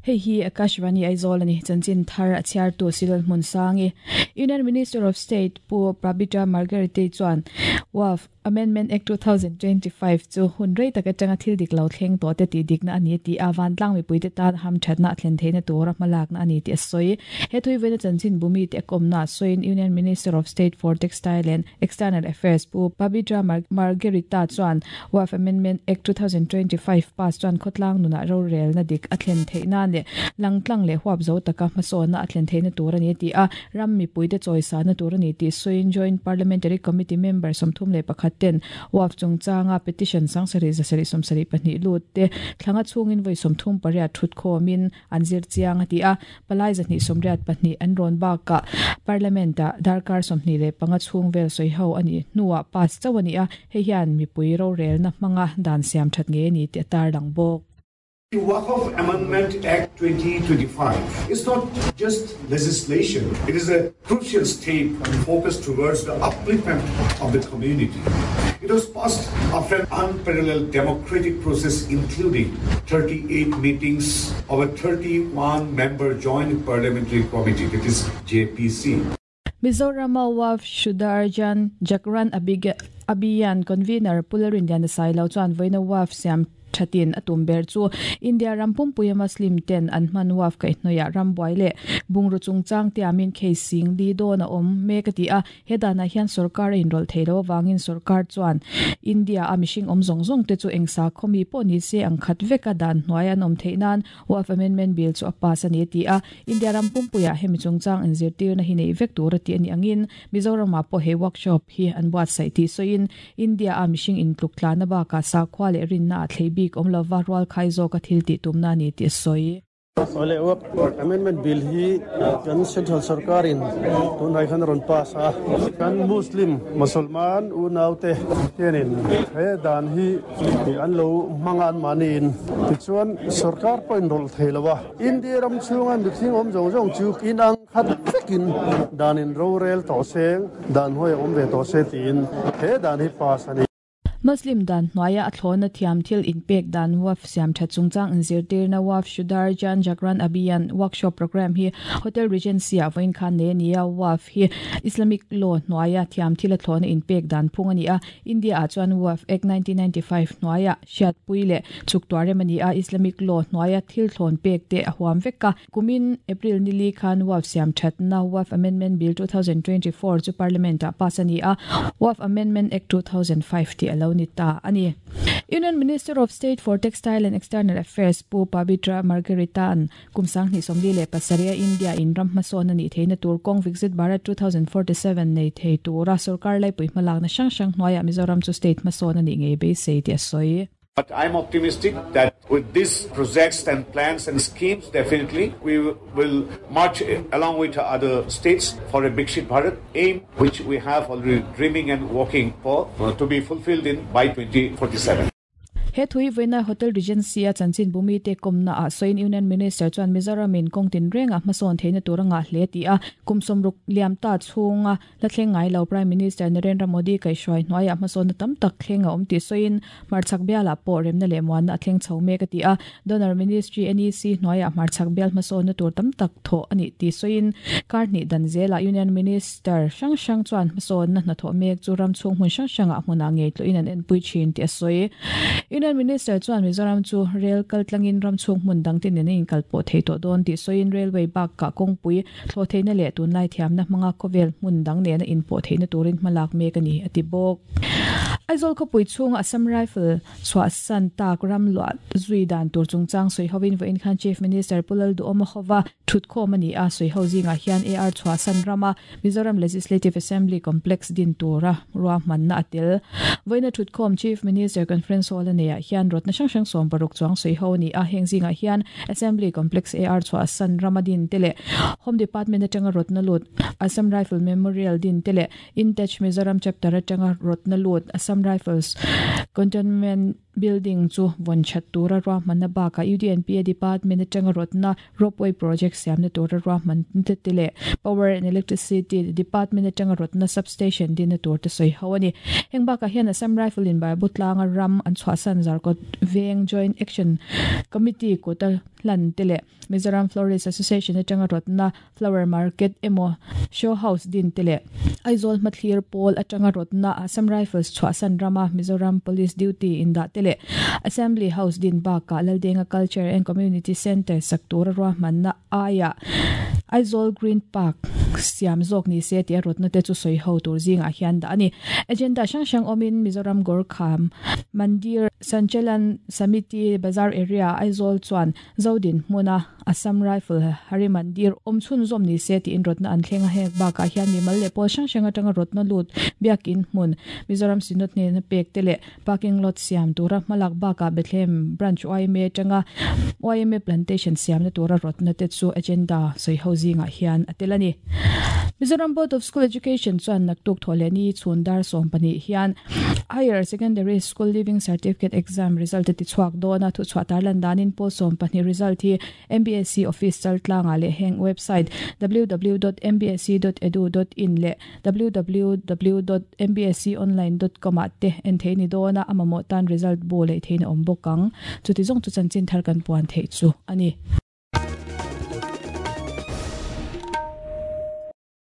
Hei hi Akashvani Aizawl a ni. Chanchin thar a chhiartu Silal Hmunsangi. Union Minister of State Pu Prabita Margaretei chuan Waqf Amendment Act 2025 chu hun rei tak atanga thil dik lo thleng tawh te tih dikna a ni a ti a, vantlang mipuite tan hamthatna a thlen theihna tura hmalakna a ni tih a sawi. He thuivaina chanchin bumi te a kawmna a sawiin Union Minister of State for Textile and External Affairs Pu Pabitra Margherita chuan Waqf Amendment Act 2025 pass chuan khawtlang nunah rorelna dik a thlen theih nan leh langtlang leh huap zo taka hmasawnna a thlen theihna tur a ni a ti a, ram mipuite chawisana tur a ni tih sawiin Joint Parliamentary Committee member 31 ten Waqf chungchanga petition 7772 lut te thlanga chhungin vawi 38 thutkhawmin an zir chiang a ti a. Palai 284 an rawn bakah Parliament-ah darkar 25 chhung vel sawi ho a nih hnuah pass chauh a ni a, hei hian mipui rorelna hmanga dan siam that ngei a ni tih a tarlang bawk. The Waqf Amendment Act 2025 is not just legislation, it is a crucial step focused towards the upliftment of the community. It was passed after an unparalleled democratic process including 38 meetings of a 31-member joint parliamentary committee, that is JPC. Mizorama Waqf Shudarjan Jagran Abhiyan Convener Pu Lalrinliana Sailo chuan vawiina Waqf siam thatin a tum ber chu India ram pumpuia Muslim ten an hman Waqf kaihhnawihah rambuai leh bungraw chungchang tiamin case sing li dawn a awm mek a ti a. He danah hian sorkar a inrawlh thei lo avangin sorkar chuan India a mihring awm zawng zawng te chu eng sakhaw mi pawh ni se ang khat veka dan hnuai an awm theih nan Waqf Amendment Bill chu a pass a ni a ti a. India ram pumpuiah hemi chungchang inzirtirna hi neih vek tur a ti a nih angin Mizoramah pawh he workshop hi an buatsaih tih sawiin India a mihring intluk tlanna bakah sakhua leh rinna ah thlei bik awm lova rualkhai zawka thil tih tumna a ni tih a sawi. Awle Waqf Amendment Bill hi kan Central Sarkarin tunhnai khan a rawn pass a, kan Muslim Musalman unaute hianin he dan hi an lo hmang a anmahniin, tichuan Sarkar pawh inrawlh thei lo a, India ram chhunga mithing awm zawng zawng chu inang khat vekin danin rorel tawh seng, dan hnuai a awm ve tawh se tiin he dan hi pass a ni. Muslim dan hnuaia a thlawna thiam thil inpek dan Waqf siam that chungchang inzirtirna Waqf Shudar Jan Jagran Abhiyan Workshop Programme hi Hotel Regency ah vawiin khan nei a ni a, Waqf hi Islamic Law hnuaia thiam thil a thlawna inpek dan phung a ni a, India ah chuan Waqf Act 1995 hnuaia hriatpui leh chhuk tuar rem a ni a, Islamic Law hnuaia thil thlawn pek te a huam vek a. Kumin April nili khan Waqf siam thatna Waqf Amendment Bill 2024 chu Parliament ah pass a ni a, Waqf Amendment Act 2005 tih a lo ni ta a ni. Union Minister of State for Textile and External Affairs Pu Pabitra Margherita-a'n kum 2027 a India in ram hmasawn a nih theihna tur kawng Viksit Bharat 2047 nei thei tura sorkar laipui hmalakna hrang hrang hnuaiah Mizoram chu state hmasawn a nih ngei beisei tih a sawi. But I'm optimistic that with these projects and plans and schemes, definitely we will march along with other states for a Viksit Bharat aim, which we have already dreaming and working for to be fulfilled in by 2047. He thui vawiina Hotel Regency a chanchin bumi te kawmna ah sawiin Union Minister chuan Mizoram in kawng tinreng ah hmasawn theihna tur a ngah hle tih a, kum sawmruk liam ta chhunga La thleng ngai lo Prime Minister Narendra Modi kaihhruai hnuaiah hmasawnna tam tak thleng a awm tih sawiin hmarchhak bialah pawh remna leh muanna a thleng chho mek a ti a. Donor Ministry NEC hnuaiah hmarchhak bial hmasawnna tur tam tak thawh a nih tih sawiin kar hnih dan zelah Union Minister hrang hrang chuan hmasawnna hnathawh mek chu ram chhung hmun hrang hrangah hmunah ngei tlawhin an enpui thin tih a sawi. Union Minister chuan Mizoram chu rel kaltlangin ram chhung hmun dangte nen a inkalpawh thei tawh dawn tih sawiin railway bakah kawngpui Thlawh theihna leh tunlai thiamna hmanga khawvel hmun dang nena inpawh theihna turin hmalak mek a ni, a ti bawk. Aizawl khawpui chhunga Assam Rifle chhuahsan tak ram luah zui dan tur chungchang sawi hovin vawiin khan Chief Minister Pu Lalduhawma hova thutkhawm a ni a, sawi ho zingah hian AR chhuahsan rama Mizoram Legislative Assembly Complex din tura ruahmanna a tel. Vawiina thutkhawm Chief Minister Conference Hall a neiah hian rawtna hrang hrang 60 chuang sawi ho a ni a, heng zingah hian Assembly Complex AR chhuahsan rama din te leh Home Department atanga rawtna lut Assam Rifle Memorial din te leh Intach Mizoram Chapter atanga rawtna lut Assam Rifles Cantonment Building chu vawn that tura ruahmanna bakah UDNPA Department atanga rawtna Ropeway Project siamna tura ruahman te te leh Power and Electricity Department atanga rawtna Substation dinna tur te sawi ho a ni. Heng bakah hian Assam Rifle in Baibu tlanga ram an chhuahsan Zarkawt Veng Joint Action Committee kuta hlan te leh Mizoram Florist Association atanga rawtna Flower Market emaw Show House din te leh Aizawl hmathlir pawl atanga rawtna Assam Rifles chhuahsan rama Mizoram Police duty indah te leh Assembly House din bakah Laldenga Culture and Community Centre sak tura ruahmanna aiah Aizawl Green Park siam zawk ni se tih a rawtna te chu sawi ho tur zingah hian dah a ni. Agenda hrang hrang awmin Mizoram Gorkha Mandir Sanchalan Samiti Bazar Area Aizawl chuan Zodin hmuna Assam Rifle Hari Mandir awm chhunzawm ni se tiin rawtna an thleng a, heng bakah hian mimal leh pawl hrang hrang atanga rawtna lut Biakin hmun Mizoram Synod hnena pek te leh Parking lot siam tura hmalak bakah Bethlehem Branch yma atanga yma Plantation siamna tura rawtna te chu agenda sawi ho zingah hian a tel a ni. Mizoram Board of School Education chuan naktuk thawh leh ni chhun dar 12 hian Higher Secondary School Leaving Certificate Exam result a ti chhuak dawn a, thuchhuah tarlan danin pawl 12 result hi MBSE office chaltlangah leh heng website www.mbse.edu.in leh www.mbseonline.com ah te en theih ni dawn a, a mamawh tan result bu leh theihna awm bawk ang. Chuti zawng chu chanchin thar kan puan theih chu a ni.